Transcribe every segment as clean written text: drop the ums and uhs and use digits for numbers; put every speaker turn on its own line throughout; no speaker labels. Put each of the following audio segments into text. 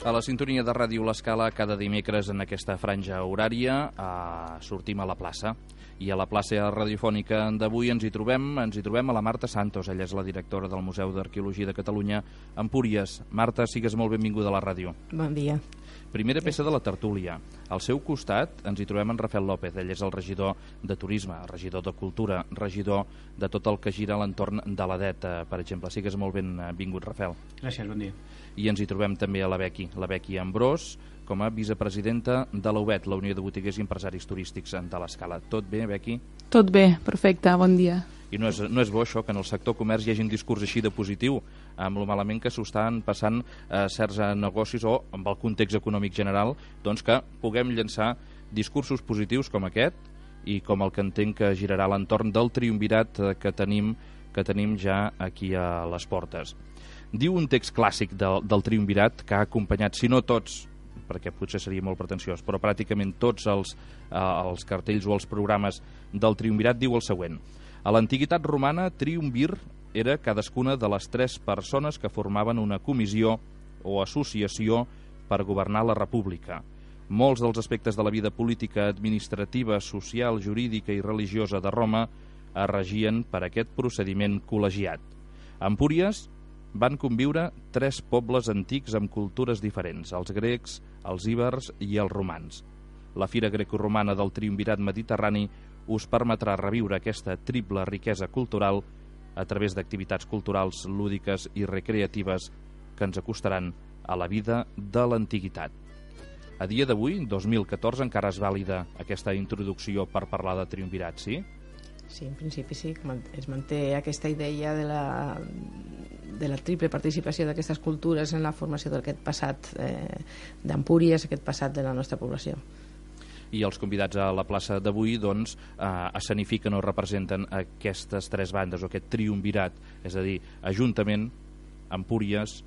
A la sintonia de Ràdio L'Escala, cada dimecres en aquesta franja horària sortim a la plaça. I a la plaça radiofònica d'avui ens hi trobem a la Marta Santos. Ella és la directora del Museu d'Arqueologia de Catalunya, Empúries. Marta, sigues molt benvinguda a la ràdio.
Bon dia.
Primera peça de la tertúlia. Al seu costat ens hi trobem en Rafael López. Ell és el regidor de Turisme, regidor de Cultura, regidor de tot el que gira a l'entorn de l'Adet, per exemple. Sigues molt benvingut, Rafael.
Gràcies, bon dia.
I ens hi trobem també a la Bequi Ambrós, com a vicepresidenta de la UBET, la Unió de Botiguers i Empresaris Turístics de l'Escala. Tot bé, Bequi?
Tot bé, perfecte, bon dia.
I no és bo això, que en el sector comerç hi hagi un discurs així de positiu, amb lo malament que s'ho estan passant certs negocis o amb el context econòmic general, doncs que puguem llançar discursos positius com aquest i com el que entenc que girarà a l'entorn del triumvirat que tenim ja aquí a les portes. Diu un text clàssic del triumvirat que ha acompanyat, si no tots, perquè potser seria molt pretensiós, però pràcticament tots els cartells o els programes del triumvirat, diu el següent: a l'antiguitat romana, triumvir era cadascuna de les 3 persones que formaven una comissió o associació per governar la república. Molts dels aspectes de la vida política, administrativa, social, jurídica i religiosa de Roma es regien per aquest procediment col·legiat. A Empúries van conviure 3 pobles antics amb cultures diferents, els grecs, els íbers i els romans. La Fira Grecoromana del Triumvirat Mediterrani us permetrà reviure aquesta triple riquesa cultural a través d'activitats culturals, lúdiques i recreatives que ens acostaran a la vida de l'antiguitat. A dia d'avui, 2014, encara és vàlida aquesta introducció per parlar de triumvirat, sí?
Sí, en principi sí, es manté aquesta idea de la triple participació d'aquestes cultures en la formació d'aquest passat d'Empúries, aquest passat de la nostra població.
I els convidats a la plaça d'avui doncs, escenifiquen o representen aquestes 3 bandes o aquest triumvirat, és a dir, Ajuntament, Empúries,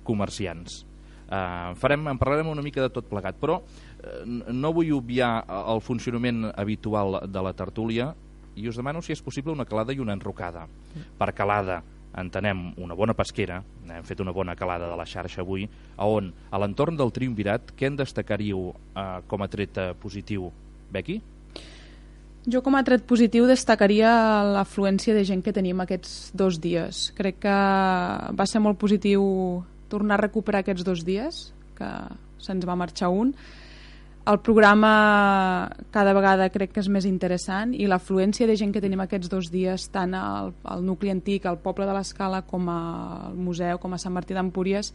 comerciants. En parlarem una mica de tot plegat, però no vull obviar el funcionament habitual de la tertúlia i us demano si és possible una calada i una enrocada. Per calada entenem una bona pesquera, hem fet una bona calada de la xarxa avui, on a l'entorn del triumvirat què en destacaríeu com a tret positiu? Bequi?
Jo com a tret positiu destacaria l'afluència de gent que tenim aquests 2 dies. Crec que va ser molt positiu tornar a recuperar aquests 2 dies, que se'ns va marxar un. El programa cada vegada crec que és més interessant i l'afluència de gent que tenim aquests 2 dies tant al nucli antic, al poble de l'Escala, com al museu, com a Sant Martí d'Empúries,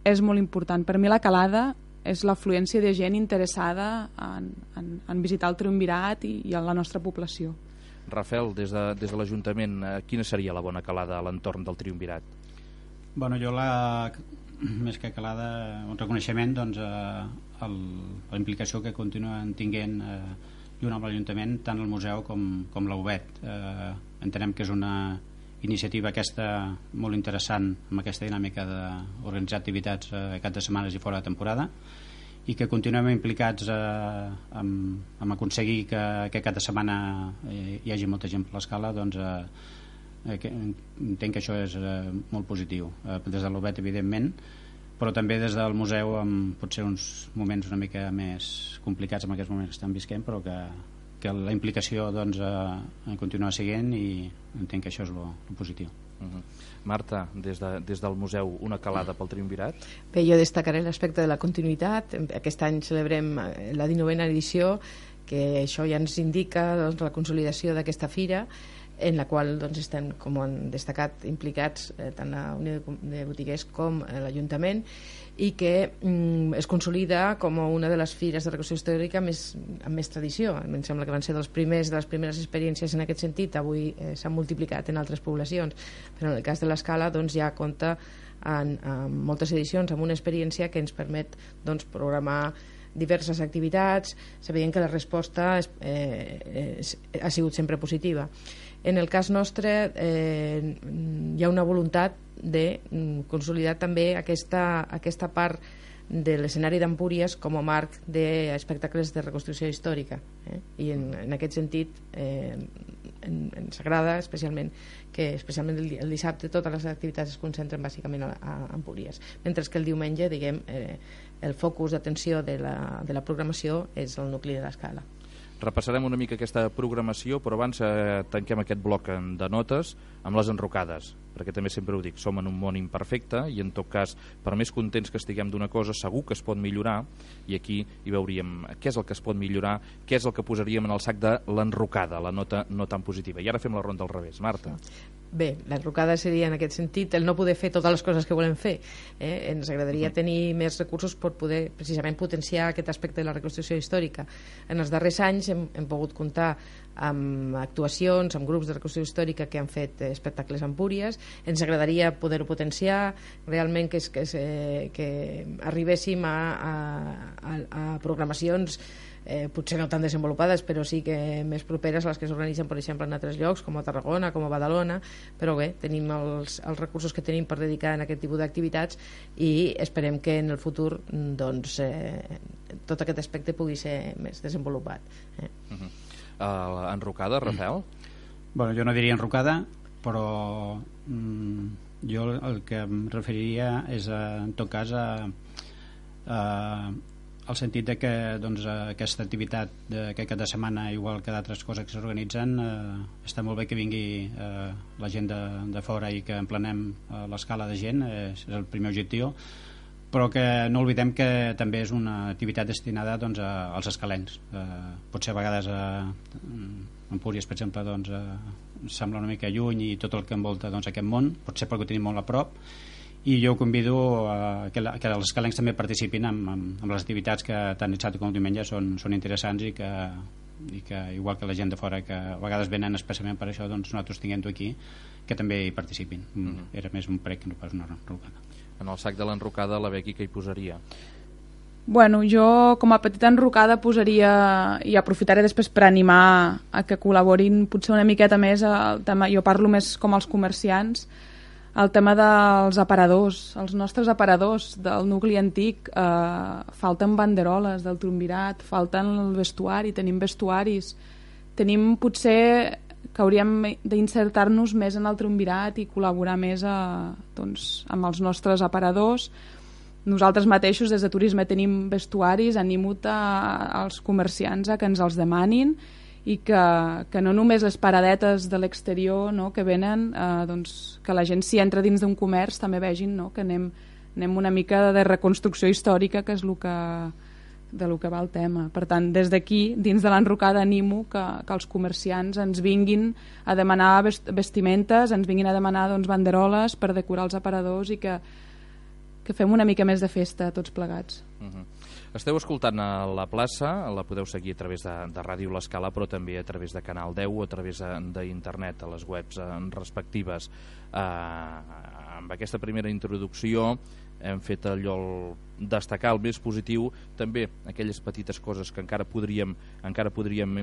és molt important. Per mi la calada és l'afluència de gent interessada en visitar el triumvirat i la nostra població.
Rafael, des de l'Ajuntament, quina seria la bona calada a l'entorn del triumvirat?
Bueno, jo més que calada, un reconeixement doncs, la implicació que continuen tinguent junt amb l'Ajuntament tant el museu com la UBET. Entenem que és una iniciativa aquesta molt interessant amb aquesta dinàmica d'organitzar activitats cap de setmanes i fora de temporada i que continuem implicats en aconseguir que cada setmana hi hagi molta gent per l'Escala. Doncs entenc que això és molt positiu des de l'UBET, evidentment, però també des del museu amb potser uns moments una mica més complicats en aquests moments que estan visquent, però que la implicació doncs, continua seguint i entenc que això és lo positiu.
Marta, des del museu, una calada pel triumvirat?
Bé, jo destacaré l'aspecte de la continuïtat. Aquest any celebrem la 19a edició, que això ja ens indica doncs, la consolidació d'aquesta fira, en la qual doncs, estem, com han destacat, implicats tant la Unió de Botiguers com l'Ajuntament, i que es consolida com una de les fires de reconstrucció històrica amb més tradició. Em sembla que van ser de les primeres experiències en aquest sentit. Avui s'han multiplicat en altres poblacions, però en el cas de l'Escala doncs, ja compta en moltes edicions amb una experiència que ens permet doncs, programar diverses activitats, sabent que la resposta ha sigut sempre positiva. En el cas nostre hi ha una voluntat de consolidar també aquesta part de l'escenari d'Empúries com a marc d'espectacles de reconstrucció històrica. I en aquest sentit ens agrada especialment que especialment el dissabte totes les activitats es concentren bàsicament a Empúries, mentre que el diumenge, diguem, el focus d'atenció de la programació és el nucli de l'Escala.
Repassarem una mica aquesta programació, però abans tanquem aquest bloc de notes amb les enrocades, perquè també sempre ho dic, som en un món imperfecte i en tot cas, per més contents que estiguem d'una cosa, segur que es pot millorar, i aquí hi veuríem què és el que es pot millorar, què és el que posaríem en el sac de l'enrocada, la nota no tan positiva. I ara fem la ronda al revés. Marta.
Bé, l'enrocada seria en aquest sentit el no poder fer totes les coses que volem fer. Ens agradaria tenir més recursos per poder precisament potenciar aquest aspecte de la reconstrucció històrica. En els darrers anys hem pogut comptar amb actuacions, amb grups de reconstrucció històrica que han fet espectacles a Empúries. Ens agradaria poder-ho potenciar, realment que arribéssim a programacions potser no tan desenvolupades, però sí que més properes a les que s'organitzen, per exemple, en altres llocs, com a Tarragona, com a Badalona, però bé, tenim els recursos que tenim per dedicar a aquest tipus d'activitats i esperem que en el futur doncs, tot aquest aspecte pugui ser més desenvolupat.
Enrocada, Rafael?
Bueno, jo no diria enrocada, però jo el que em referiria és, en tot cas, el sentit de que doncs, aquesta activitat d'aquest cap de setmana, igual que d'altres coses que s'organitzen, està molt bé que vingui la gent de fora i que emplenem l'escala de gent, és el primer objectiu, però que no oblidem que també és una activitat destinada doncs, als escalencs. Potser a vegades Empúries, per exemple, doncs, sembla una mica lluny i tot el que envolta doncs, aquest món, potser perquè ho tenim molt a prop, i jo convido que els escalencs també participin amb les activitats que tant dissabte com diumenge són interessants i que igual que la gent de fora que a vegades venen especialment per això, doncs nosaltres tinguem-ho aquí, que també hi participin. Era més un prec que no pas una enrocada.
En el sac de l'enrocada, la Becky, què hi posaria?
Bueno, jo com a petita enrocada posaria, i aprofitaré després per animar a que col·laborin potser una miqueta més al tema, jo parlo més com els comerciants, el tema dels aparadors, els nostres aparadors del nucli antic, falten banderoles del triumvirat, falten el vestuari, tenim vestuaris, tenim potser que hauríem d'insertar-nos més en el triumvirat i col·laborar més doncs, amb els nostres aparadors. Nosaltres mateixos des de turisme tenim vestuaris, animo als comerciants a que ens els demanin i que no només les paradetes de l'exterior, no, que venen, doncs, que la gent si entra dins d'un comerç també vegin, no, que anem una mica de reconstrucció històrica, que és de lo que va el tema. Per tant, des d'aquí, dins de l'enrocada, animo que els comerciants ens vinguin a demanar vestimentes, ens vinguin a demanar doncs, banderoles per decorar els aparadors i que fem una mica més de festa tots plegats.
Esteu escoltant a la plaça, la podeu seguir a través de Ràdio L'Escala, però també a través de Canal 10 o a través d'internet, a les webs respectives. Amb aquesta primera introducció hem fet allò destacar el més positiu, també aquelles petites coses que encara podríem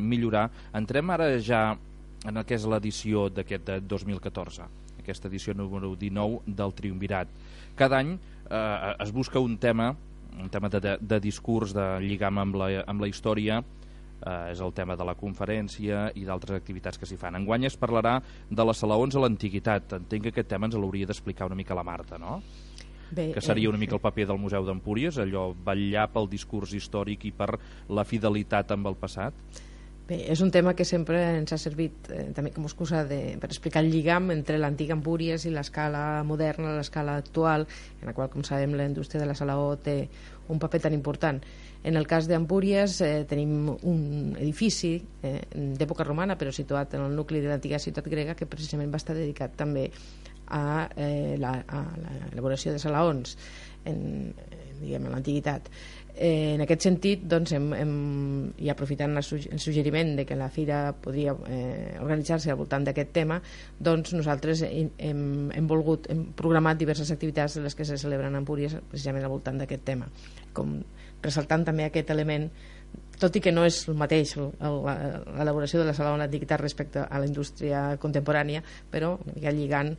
millorar. Entrem ara ja en el que és l'edició d'aquest 2014, aquesta edició número 19 del Triumvirat. Cada any es busca un tema de discurs, de lligam amb la història, és el tema de la conferència i d'altres activitats que s'hi fan. Enguany es parlarà de les salaons a l'antiguitat. Entenc que aquest tema ens l'hauria d'explicar una mica la Marta, no? Bé, que seria una mica el paper del Museu d'Empúries, allò vetllar pel discurs històric i per la fidelitat amb el passat.
Bé, és un tema que sempre ens ha servit també com a excusa per explicar el lligam entre l'antiga Empúries i l'escala moderna, l'escala actual, en la qual, com sabem, la indústria de la salaó té un paper tan important. En el cas d'Empúries tenim un edifici d'època romana, però situat en el nucli de l'antiga ciutat grega, que precisament va estar dedicat també a l'elaboració de salaons en l'antiguitat. En aquest sentit, doncs, i aprofitant el suggeriment de que la fira podria organitzar-se al voltant d'aquest tema, doncs nosaltres hem programat diverses activitats de les que se celebren a Empúries precisament al voltant d'aquest tema, com ressaltant també aquest element tot i que no és el mateix l'elaboració de la sala de l'antiguitat respecte a la indústria contemporània, però ja lligant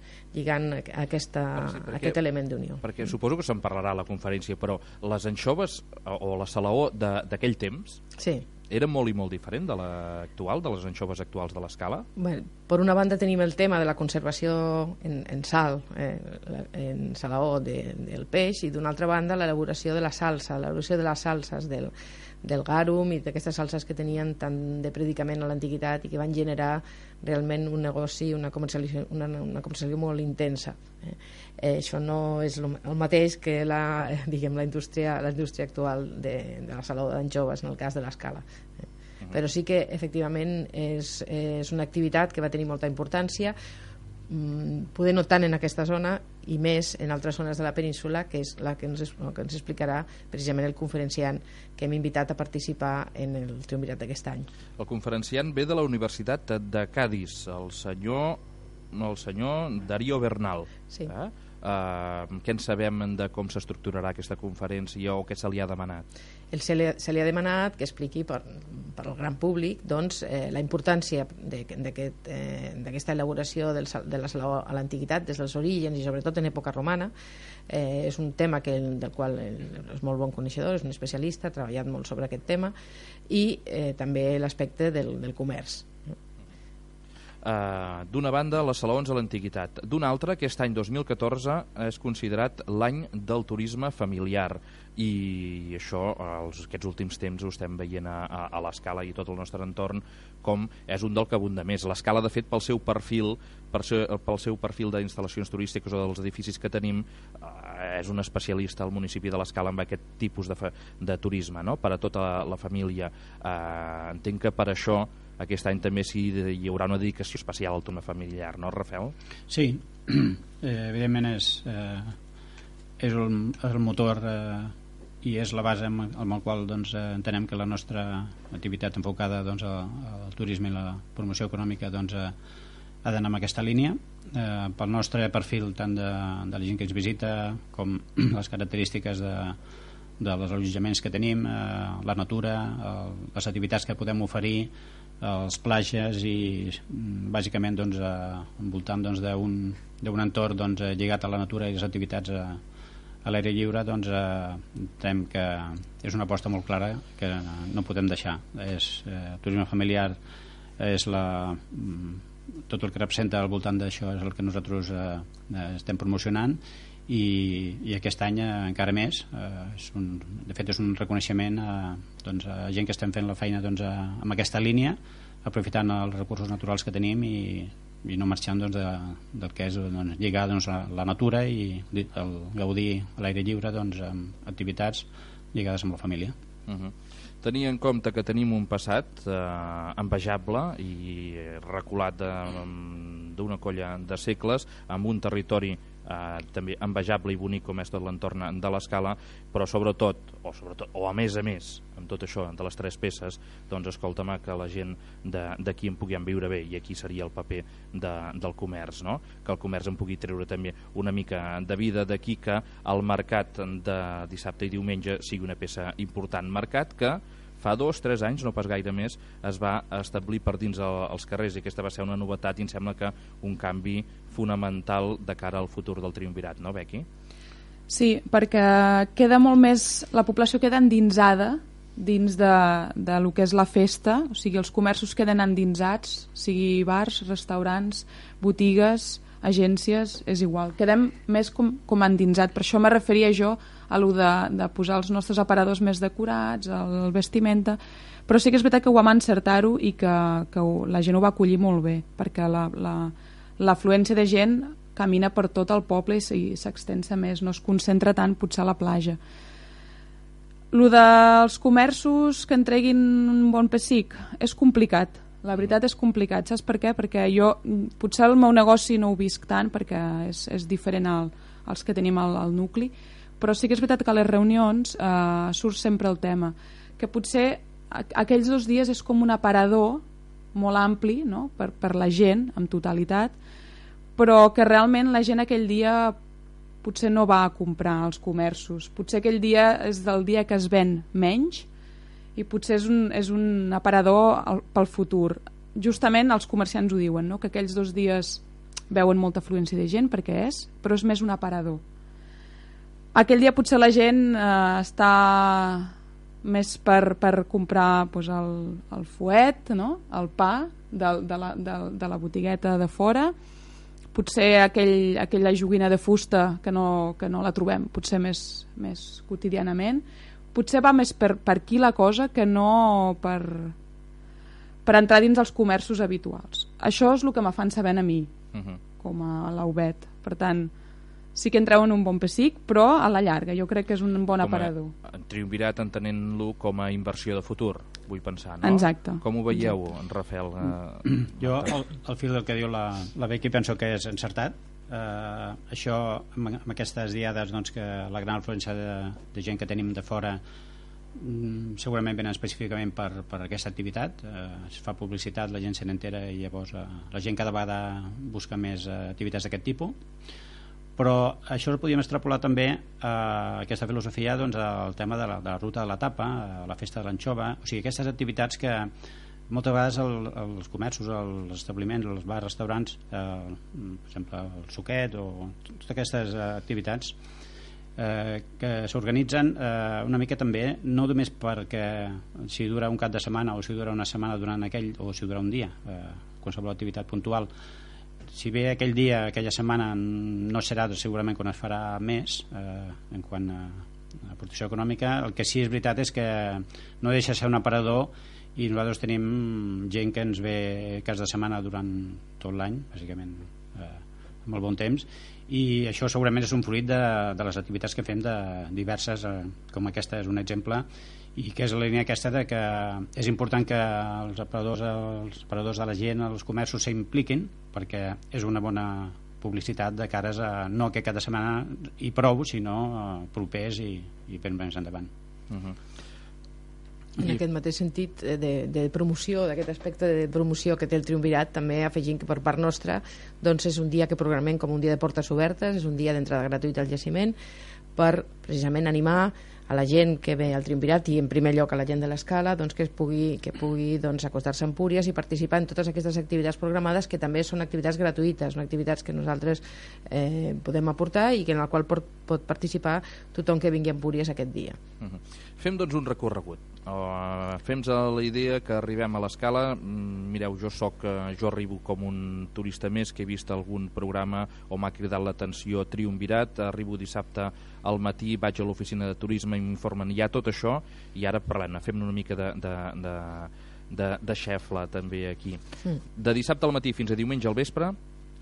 aquest element d'unió.
Perquè suposo que se'n parlarà a la conferència, però les anxoves o la salaó d'aquell temps era molt i molt diferent de l'actual, de les anxoves actuals de l'Escala?
Bueno, per una banda tenim el tema de la conservació en sal, en salaó del peix, i d'una altra banda l'elaboració de la salsa, l'elaboració de les salses del garum i d'aquestes salses que tenien tant de predicament a l'antiguitat i que van generar realment un negoci, una comercialització molt intensa. Això no és el mateix que la indústria actual de la salaó d'anxoves en el cas de l'Escala. Però sí que efectivament és una activitat que va tenir molta importància, poder no tant en aquesta zona i més en altres zones de la península, que és la que ens explicarà precisament el conferenciant que hem invitat a participar en el triumvirat d'aquest any.
El conferenciant ve de la Universitat de Cadis, el senyor Darío Bernal.
Sí.
Què en sabem de com s'estructurarà aquesta conferència o què se li ha demanat?
Se li ha demanat que expliqui per al gran públic la importància d'aquesta elaboració de la salaó a l'antiguitat des dels orígens i sobretot en època romana. És un tema del qual és molt bon coneixedor, és un especialista, ha treballat molt sobre aquest tema, i també l'aspecte del comerç.
D'una banda, les salaons a l'antiguitat. D'una altra, aquest any 2014 és considerat l'any del turisme familiar, i això aquests últims temps ho estem veient a l'Escala i tot el nostre entorn, com és un del que abunda més. L'Escala, de fet, pel seu perfil d'instal·lacions turístiques o dels edificis que tenim, és un especialista al municipi de l'Escala amb aquest tipus de turisme, no? Per a tota la família. Entenc que per això aquest any també hi haurà una dedicació especial al turisme familiar, no, Rafael?
Sí, evidentment és el motor i és la base amb el qual entenem que la nostra activitat enfocada al turisme i la promoció econòmica ha d'anar en aquesta línia. Pel nostre perfil, tant de la gent que ens visita com les característiques dels allotjaments que tenim, la natura, les activitats que podem oferir, els plages i bàsicament envoltant d'un entorn lligat a la natura i les activitats a l'aire lliure, entenem que és una aposta molt clara que no podem deixar. Turisme familiar és tot el que representa al voltant d'això és el que nosaltres estem promocionant, i aquest any encara més. De fet, és un reconeixement a gent que estem fent la feina amb aquesta línia, aprofitant els recursos naturals que tenim i no marxant del que és lligar a la natura i el gaudir a l'aire lliure amb activitats lligades amb la família.
Tenir en compte que tenim un passat envejable i reculat d'una colla de segles, amb un territori també envejable i bonic com és tot l'entorn de l'Escala, però sobretot, o a més amb tot això de les tres peces, escolta'm, que la gent d'aquí en puguem viure bé, i aquí seria el paper del comerç, no? Que el comerç en pugui treure també una mica de vida d'aquí, que el mercat de dissabte i diumenge sigui una peça important. Mercat que fa 2-3 anys, no pas gaire més, es va establir per dins els carrers, i aquesta va ser una novetat i em sembla que un canvi fonamental de cara al futur del triumvirat, no, Bequi?
Sí, perquè queda molt més, la població queda endinsada dins de lo que és la festa, o sigui, els comerços queden endinsats, sigui bars, restaurants, botigues, agències, és igual, quedem més com endinsat. Per això me referia jo a lo de posar els nostres aparadors més decorats, el vestimenta, però sí que és veritat que ho vam encertar-ho i que la gent ho va acollir molt bé, perquè l'afluència de gent camina per tot el poble i s'extensa més, no es concentra tant potser a la platja. Lo dels comerços que en treguin un bon pessic és complicat. La veritat és complicat, saps per què? Perquè jo, potser el meu negoci no ho visc tant, perquè és diferent als que tenim al nucli, però sí que és veritat que a les reunions surt sempre el tema, que potser aquells 2 dies és com un aparador molt ampli, no? per la gent, en totalitat, però que realment la gent aquell dia potser no va a comprar als comerços. Potser aquell dia és del dia que es ven menys i potser és un aparador pel futur. Justament els comerciants ho diuen, no? Que aquells 2 dies veuen molta afluència de gent, perquè però és més un aparador. Aquell dia potser la gent està més per comprar doncs, el fuet, no? El pa de la botigueta de fora, potser aquella joguina de fusta que no la trobem potser més quotidianament, potser va més per aquí la cosa que no per entrar dins els comerços habituals. Això és el que me fan saber a mi com a l'Aubet. Per tant, sí que entreu en un bon pessic, però a la llarga jo crec que és un bon aparador.
Triumvirat entenent-lo com a inversió de futur, vull pensar, no?
Exacte.
Com ho veieu, en Rafael?
Jo, al fil del que diu la Becky, penso que és encertat. Això, amb aquestes diades doncs, que la gran afluència de gent que tenim de fora segurament venen específicament per aquesta activitat. Es fa publicitat, la gent se n'entera i llavors la gent cada vegada busca més activitats d'aquest tipus. Però això ho podíem extrapolar també a aquesta filosofia doncs, al tema de la ruta de la tapa, a la festa de l'anxova, o sigui, aquestes activitats que moltes vegades els comerços, els establiments, els bars, restaurants, per exemple el suquet o totes aquestes activitats que s'organitzen una mica també, no només perquè si dura un cap de setmana o si dura una setmana durant aquell, o si dura un dia, qualsevol activitat puntual. Si bé aquell dia, aquella setmana no serà segurament quan es farà més en quant a aportació econòmica, el que sí és veritat és que no deixa ser un aparador i nosaltres tenim gent que ens ve cas de setmana durant tot l'any, bàsicament amb el bon temps, i això segurament és un fruit de les activitats que fem de diverses, com aquesta és un exemple, i que és la línia aquesta de que és important que els aparadors de la gent, els comerços s'impliquin, perquè és una bona publicitat de cares a no que cada setmana i prou, sinó propers i ben més endavant.
En aquest mateix sentit de promoció, d'aquest aspecte de promoció que té el Triumvirat, també afegint que per part nostra doncs és un dia que programem com un dia de portes obertes, és un dia d'entrada gratuïta al jaciment, per precisament animar a la gent que ve al Triumvirat i en primer lloc a la gent de l'Escala doncs, que pugui doncs, acostar-se a Empúries i participar en totes aquestes activitats programades, que també són activitats gratuïtes, són activitats que nosaltres podem aportar i que en la qual pot participar tothom que vingui a Empúries aquest dia.
Fem doncs un recorregut. Fem-nos la idea que arribem a l'Escala. Mireu, jo arribo com un turista més que he vist algun programa o m'ha cridat l'atenció Triumvirat. Arribo dissabte al matí, vaig a l'oficina de turisme i m'informen ja tot això, i ara parlem, fem una mica de xefla també aquí. De dissabte al matí fins a diumenge al vespre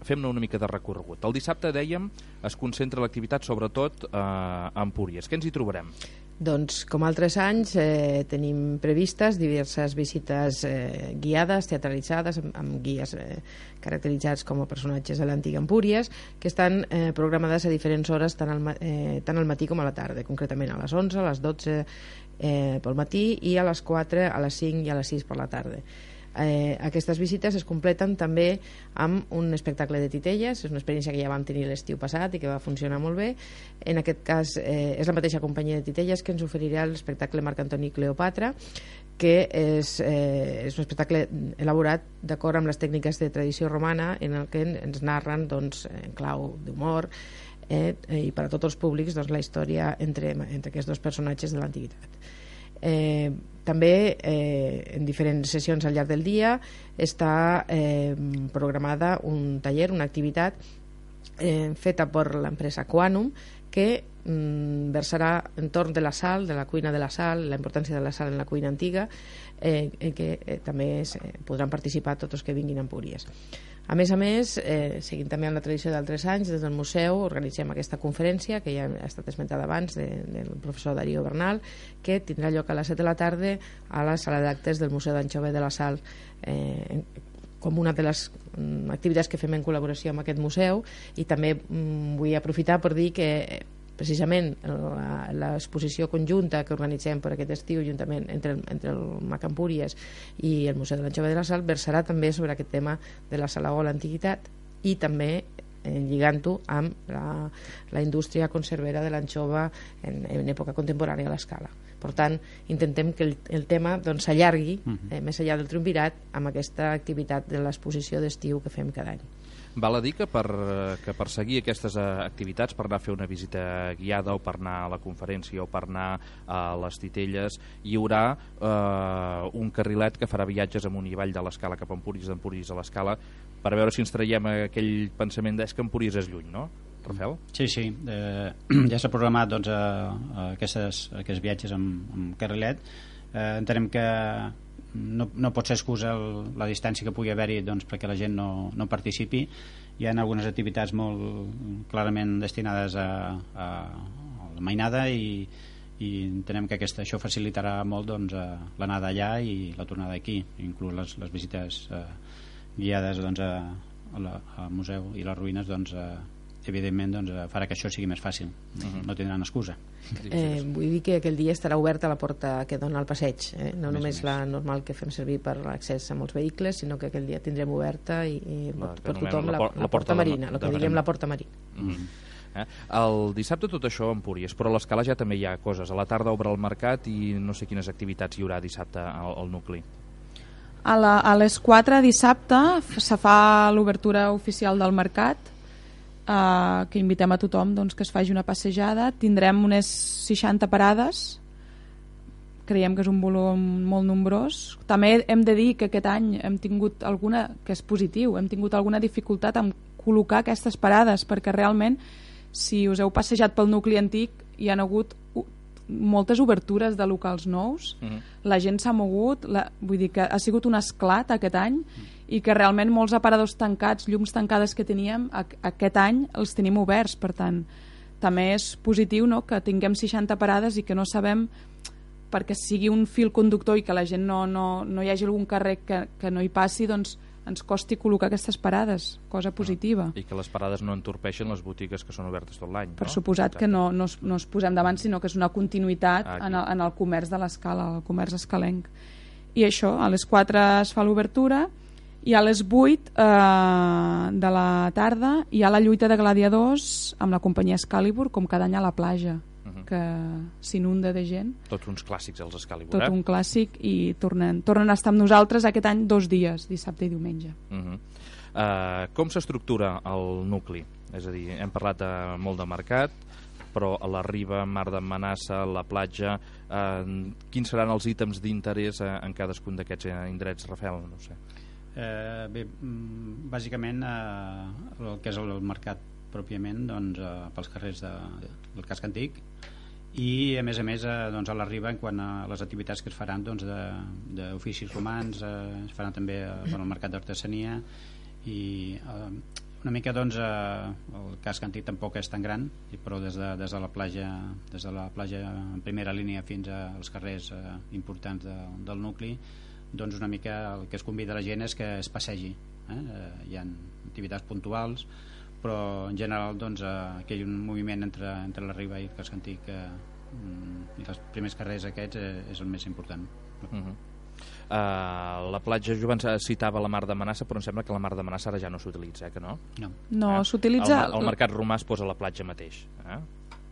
fem-ne una mica de recorregut. El dissabte, dèiem, es concentra l'activitat sobretot a Empúries. Què ens hi trobarem?
Doncs, com altres anys, tenim previstes diverses visites guiades, teatralitzades, amb guies caracteritzats com a personatges de l'antiga Empúries, que estan programades a diferents hores, tant al matí com a la tarda, concretament a les 11, a les 12 pel matí i a les 4, a les 5 i a les 6 per la tarda. Aquestes visites es completen també amb un espectacle de titelles. És una experiència que ja vam tenir l'estiu passat i que va funcionar molt bé. En aquest cas és la mateixa companyia de titelles que ens oferirà l'espectacle Marc Antoni Cleopatra, que és un espectacle elaborat d'acord amb les tècniques de tradició romana, en el que ens narren doncs, en clau d'humor i per a tots els públics doncs, la història entre aquests dos personatges de l'antiguitat. També en diferents sessions al llarg del dia està programada un taller, una activitat feta per l'empresa Quanum, que versarà entorn de la sal, de la cuina de la sal, la importància de la sal en la cuina antiga, en què també podran participar tots els que vinguin a Empúries. A més, seguint també amb la tradició d'altres anys, des del museu organitzem aquesta conferència, que ja ha estat esmentada abans, del professor Darío Bernal, que tindrà lloc a les 7 de la tarda a la sala d'actes del Museu d'Anxova de la Sal, com una de les activitats que fem en col·laboració amb aquest museu. I també vull aprofitar per dir que precisament l'exposició conjunta que organitzem per aquest estiu juntament entre el MAC Empúries i el Museu de l'Anxova de la Sal versarà també sobre aquest tema de la Salaó a l'antiguitat, i també lligant-ho amb la indústria conservera de l'anxova en època contemporània a l'escala. Per tant, intentem que el tema s'allargui més enllà del triumvirat amb aquesta activitat de l'exposició d'estiu que fem cada any.
Val a dir que per seguir aquestes activitats, per anar a fer una visita guiada o per anar a la conferència o per anar a les Titelles, hi haurà un carrilet que farà viatges amunt i avall de l'Escala cap a Empúries, d'Empúries a l'Escala, per veure si ens traiem aquell pensament que Empúries és lluny, no? Rafael?
Sí. Ja s'ha programat aquests viatges amb carrilet. Entenem que no pot ser excusa la distància que pugui haver-hi perquè la gent no participi. Hi ha algunes activitats molt clarament destinades a la mainada i entenem que això facilitarà molt l'anada allà i la tornada aquí, inclús les visites guiades al museu i les ruïnes evidentment farà que això sigui més fàcil. No tindran excusa.
Vull dir que aquell dia estarà oberta la porta que dona al passeig, no només la normal que fem servir per l'accés a molts vehicles, sinó que aquell dia tindrem oberta i per tothom la porta marina, el que diguem la porta marina.
El dissabte tot això a Empúries, però a l'Escala ja també hi ha coses. A la tarda obre el mercat i no sé quines activitats hi haurà dissabte al nucli.
A les 4 dissabte se fa l'obertura oficial del mercat, que invitem a tothom que es faci una passejada. Tindrem unes 60 parades, creiem que és un volum molt nombrós. També hem de dir que aquest any hem tingut alguna, que és positiu, hem tingut alguna dificultat en col·locar aquestes parades, perquè realment si us heu passejat pel nucli antic hi ha hagut moltes obertures de locals nous, la gent s'ha mogut, vull dir que ha sigut un esclat aquest any i que realment molts aparadors tancats, llums tancades que teníem, aquest any els tenim oberts. Per tant, també és positiu que tinguem 60 parades i que no sabem, perquè sigui un fil conductor i que la gent no hi hagi algun carrer que no hi passi, ens costi col·locar aquestes parades, cosa positiva.
I que les parades no entorpeixen les botigues que són obertes tot l'any.
Per suposat que no es posem davant, sinó que és una continuïtat en el comerç de l'Escala, el comerç escalenc. I això, a les 4 es fa l'obertura i a les 8 de la tarda hi ha la lluita de gladiadors amb la companyia Excalibur, com cada any a la platja, que s'inunda de gent.
Tots uns clàssics els Excalibur.
Tot un clàssic, i tornen a estar amb nosaltres aquest any 2 dies, dissabte i diumenge.
Com s'estructura el nucli? És a dir, hem parlat molt de mercat, però a la Riba, Mar d'Amenaça, la platja, quins seran els ítems d'interès en cadascun d'aquests indrets, Rafael? No sé.
Bé, bàsicament el que és el mercat pròpiament pels carrers del casc antic, i a més a la Riba, en quant a les activitats que es faran d'oficis romans, es faran també el mercat d'artesania, i una mica el casc antic tampoc és tan gran, però des de la platja en primera línia fins als carrers importants del nucli, una mica el que es convida a la gent és que es passegi. Hi ha activitats puntuals, però en general que hi ha un moviment entre la Riba i el casc antic i els primers carrers aquests és el més important.
La platja, jo abans citava la Mar d'Amenaça, però em sembla que la Mar d'Amenaça ara ja no s'utilitza, que no?
No, s'utilitza...
El mercat romà es posa a la platja mateix.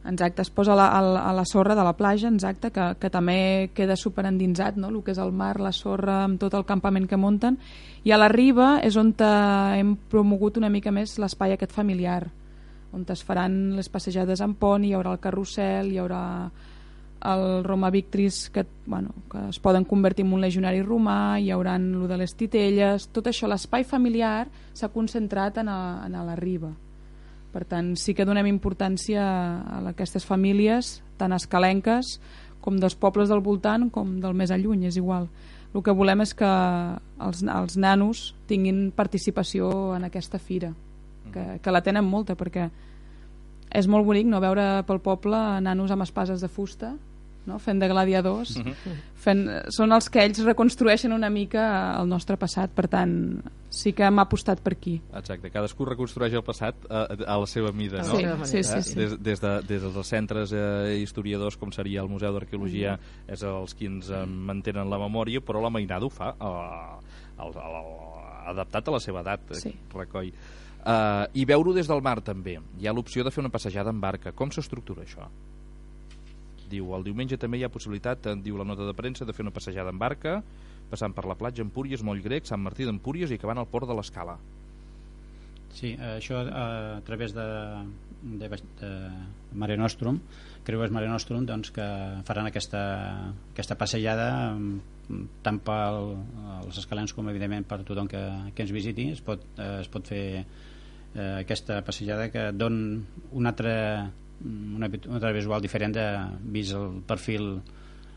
Exacte, es posa a la sorra de la platja, exacte, que també queda superendinsat, no? El que és el mar, la sorra, amb tot el campament que munten. I a la Riba és on hem promogut una mica més l'espai aquest familiar, on es faran les passejades en pont, hi haurà el carrusel, hi haurà el Roma Victris, que es poden convertir en un legionari romà, hi haurà el de les Titelles, tot això, l'espai familiar s'ha concentrat en la Riba. Per tant, sí que donem importància a aquestes famílies, tant escalenques com dels pobles del voltant com del més lluny, és igual. El que volem és que els nanos tinguin participació en aquesta fira, que la tenen molta, perquè és molt bonic veure pel poble nanos amb espases de fusta, fent de gladiadors, són els que ells reconstrueixen una mica el nostre passat. Per tant, sí que hem apostat per aquí.
Exacte, cadascú reconstrueix el passat a la seva mida, no?
Sí.
Des dels centres historiadors, com seria el Museu d'Arqueologia, és els qui ens mantenen la memòria, però la mainada ho fa adaptat a la seva edat, recull. I veure-ho des del mar també. Hi ha l'opció de fer una passejada en barca. Com s'estructura això? Diu, el diumenge també hi ha possibilitat, diu la nota de premsa, de fer una passejada en barca, passant per la platja Empúries, Moll Grec, Sant Martí d'Empúries i acabant al port de l'Escala.
Sí, això a través de Mare Nostrum, Creuers Mare Nostrum, doncs, que faran aquesta passejada tant per als escalens com evidentment per tothom que ens visiti. Es pot fer aquesta passejada que dona una altra visual diferent vist el perfil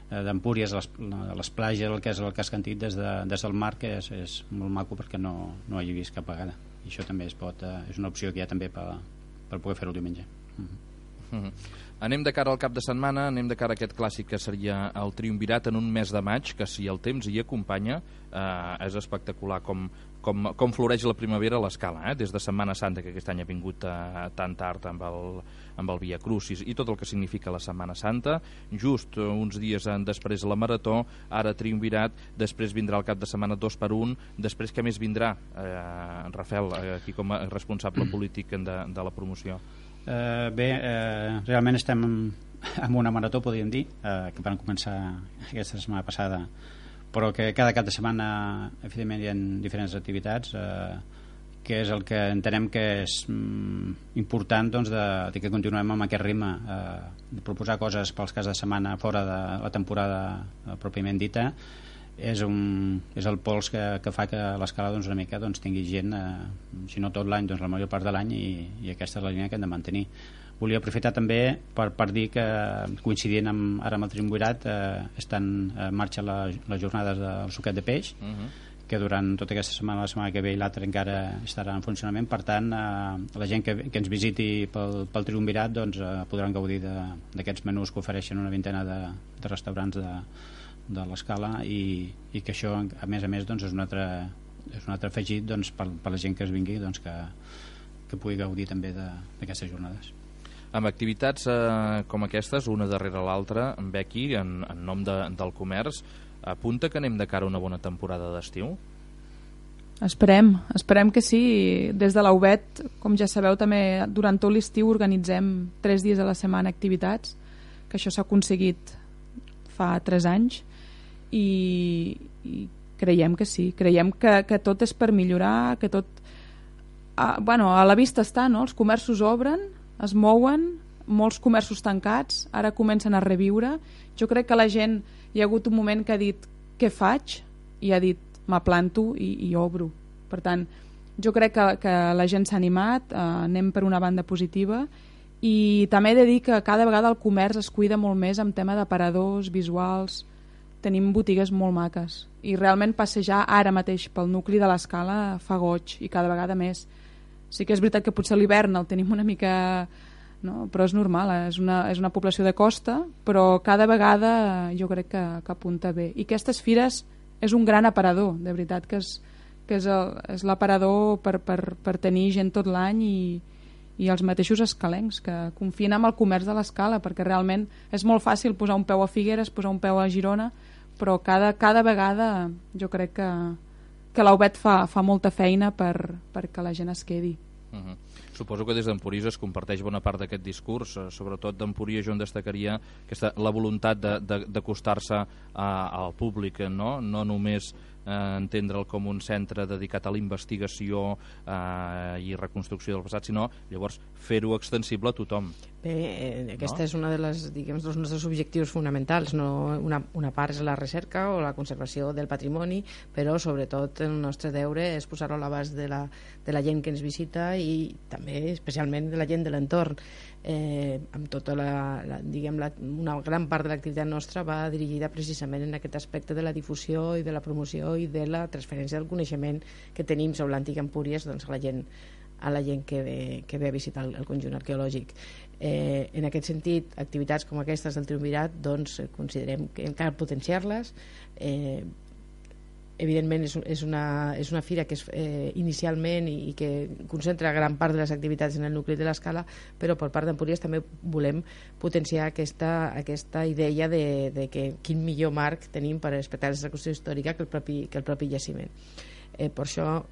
d'Empúries, les platges, el que és el Cascantit des del mar, que és molt maco perquè no hi he vist cap vegada, i això també és una opció que hi ha també per poder fer-ho el diumenge.
Anem de cara al cap de setmana, anem de cara a aquest clàssic que seria el Triumvirat en un mes de maig, que si el temps hi acompanya és espectacular com floreix la primavera a l'Escala, des de Setmana Santa, que aquest any ha vingut tan tard amb el Via Crucis i tot el que significa la Setmana Santa. Just uns dies després la Marató, ara Triumvirat, després vindrà el cap de setmana 2x1, després què més vindrà? Rafael, aquí com a responsable polític de la promoció.
Realment estem amb una marató, podríem dir, que van començar aquesta setmana passada, però que cada cap de setmana evidentment hi ha diferents activitats, que és el que entenem que és important, doncs, de que continuem amb aquest ritme, de proposar coses pels caps de setmana fora de la temporada pròpiament dita. És el pols que fa que l'Escala una mica tingui gent, si no tot l'any, la major part de l'any, i aquesta és la línia que hem de mantenir. Volia aprofitar també per dir que, coincidint ara amb el Triumvirat, estan en marxa les jornades del suquet de peix, que durant tota aquesta setmana, la setmana que ve i l'altra encara estarà en funcionament. Per tant, la gent que ens visiti pel Triumvirat podran gaudir d'aquests menús que ofereixen una vintena de restaurants de l'Escala, i que això a més és un altre afegit per la gent que es vingui, que pugui gaudir també d'aquestes jornades.
Amb activitats com aquestes, una darrere l'altra, Becky, en nom del comerç, apunta que anem de cara a una bona temporada d'estiu?
Esperem que sí. Des de la UBET, com ja sabeu, també durant tot l'estiu organitzem 3 dies a la setmana activitats, que això s'ha aconseguit fa 3 anys, i creiem que sí, creiem que tot és per millorar, que tot a la vista està, no? Els comerços obren, es mouen, molts comerços tancats ara comencen a reviure. Jo crec que la gent, hi ha hagut un moment que ha dit què faig, i ha dit m'aplanto i obro. Per tant, jo crec que la gent s'ha animat, anem per una banda positiva, i també he de dir que cada vegada el comerç es cuida molt més amb tema d'aparadors, visuals. Tenim botigues molt maques i realment passejar ara mateix pel nucli de l'Escala fa goig, i cada vegada més. Sí que és veritat que potser l'hivern el tenim una mica, no? Però és normal, és una població de costa, però cada vegada jo crec que apunta bé. I aquestes fires és un gran aparador, de veritat que és l'aparador per tenir gent tot l'any, i els mateixos escalencs que confien amb el comerç de l'Escala, perquè realment és molt fàcil posar un peu a Figueres, posar un peu a Girona, però cada vegada jo crec que la UBET fa molta feina perquè la gent es quedi.
Suposo que des d'Empúries es comparteix bona part d'aquest discurs, sobretot d'Empúries, on destacaria la voluntat d'acostar-se al públic, no només entendre'l com un centre dedicat a la investigació i reconstrucció del passat, sinó llavors fer-ho extensible a tothom.
Bé, aquesta és una dels nostres objectius fonamentals. Una part és la recerca o la conservació del patrimoni, però sobretot el nostre deure és posar-ho a l'abast de la gent que ens visita, i també especialment de la gent de l'entorn. Amb tota una gran part de l'activitat nostra va dirigida precisament en aquest aspecte de la difusió i de la promoció i de la transferència del coneixement que tenim sobre l'antic Empúries a la gent que ve a visitar el conjunt arqueològic. En aquest sentit, activitats com aquestes del Triumvirat considerem que cal potenciar-les. Evidentment és una fira que és inicialment i que concentra gran part de les activitats en el nucli de l'Escala, però per part d'Empúries també volem potenciar aquesta idea de que quin millor marc tenim per respectar la reconstrucció històrica que el propi jaciment. Per això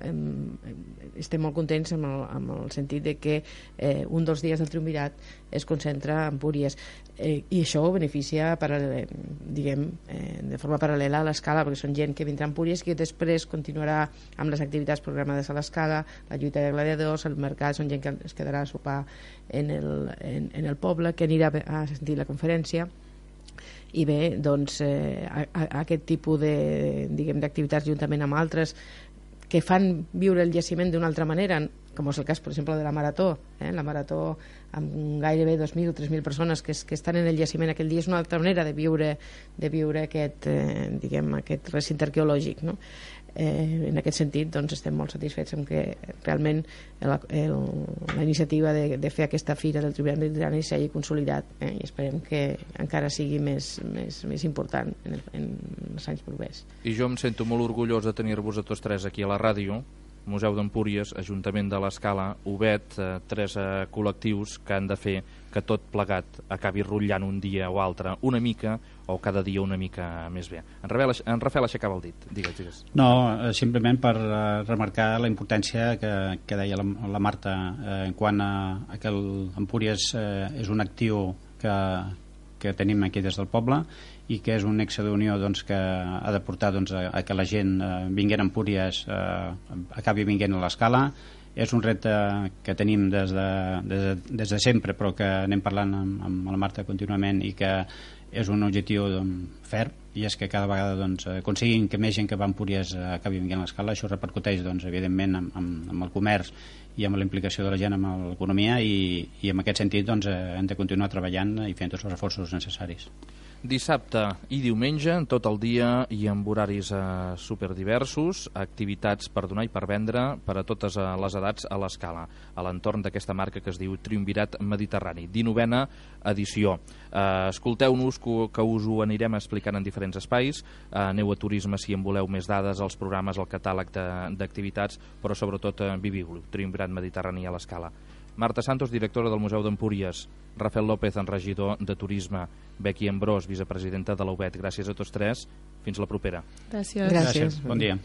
estem molt contents amb el sentit de que un dels dies del triumvirat es concentra a Empúries, i això beneficia de forma paral·lela a l'Escala, perquè són gent que vindrà a Empúries, que després continuarà amb les activitats programades a l'Escala, la lluita de gladiadors, el mercat, són gent que es quedarà a sopar en el poble, que anirà a sentir la conferència. I bé, doncs aquest tipus d'activitats juntament amb altres que fan viure el jaciment d'una altra manera, com és el cas, per exemple, de la Marató. La Marató, amb gairebé 2.000 o 3.000 persones que estan en el jaciment aquell dia, és una altra manera de viure aquest recinte arqueològic, no? En aquest sentit, doncs, estem molt satisfets amb que realment la iniciativa de fer aquesta fira del Triumvirat Mediterrani s'hagi consolidat, i esperem que encara sigui més important en els anys propers.
I jo em sento molt orgullós de tenir-vos a tots tres aquí a la ràdio, Museu d'Empúries, Ajuntament de l'Escala, UBET, tres col·lectius que han de fer que tot plegat acabi rotllant un dia o altre una mica, o cada dia una mica més bé. En Rafael aixecava el dit. Digues.
No, simplement per remarcar la importància que deia la Marta en quant a que Empúries és un actiu que tenim aquí des del poble, i que és un nexe d'unió que ha de portar a que la gent vinguent a Empúries acabi vinguent a l'Escala. És un repte que tenim des de sempre, però que anem parlant amb la Marta contínuament, i que és un objectiu ferm, i és que cada vegada aconseguim que més gent que va a Empúries acabi vinguent a l'Escala. Això repercuteix evidentment amb el comerç i amb la implicació de la gent amb l'economia, i en aquest sentit hem de continuar treballant i fent tots els esforços necessaris.
Dissabte i diumenge, tot el dia i amb horaris superdiversos, activitats per donar i per vendre per a totes les edats a l'Escala, a l'entorn d'aquesta marca que es diu Triumvirat Mediterrani, 19a edició. Escolteu-nos, que us ho anirem explicant en diferents espais. Aneu a Turisme si en voleu més dades, els programes, el catàleg d'activitats, però sobretot viviu-lo, Triumvirat Mediterrani a l'Escala. Marta Santos, directora del Museu d'Empúries, Rafael López, regidor de Turisme, Becky Ambrós, vicepresidenta de la UBET. Gràcies a tots tres. Fins la propera.
Gràcies.
Gràcies. Bon dia.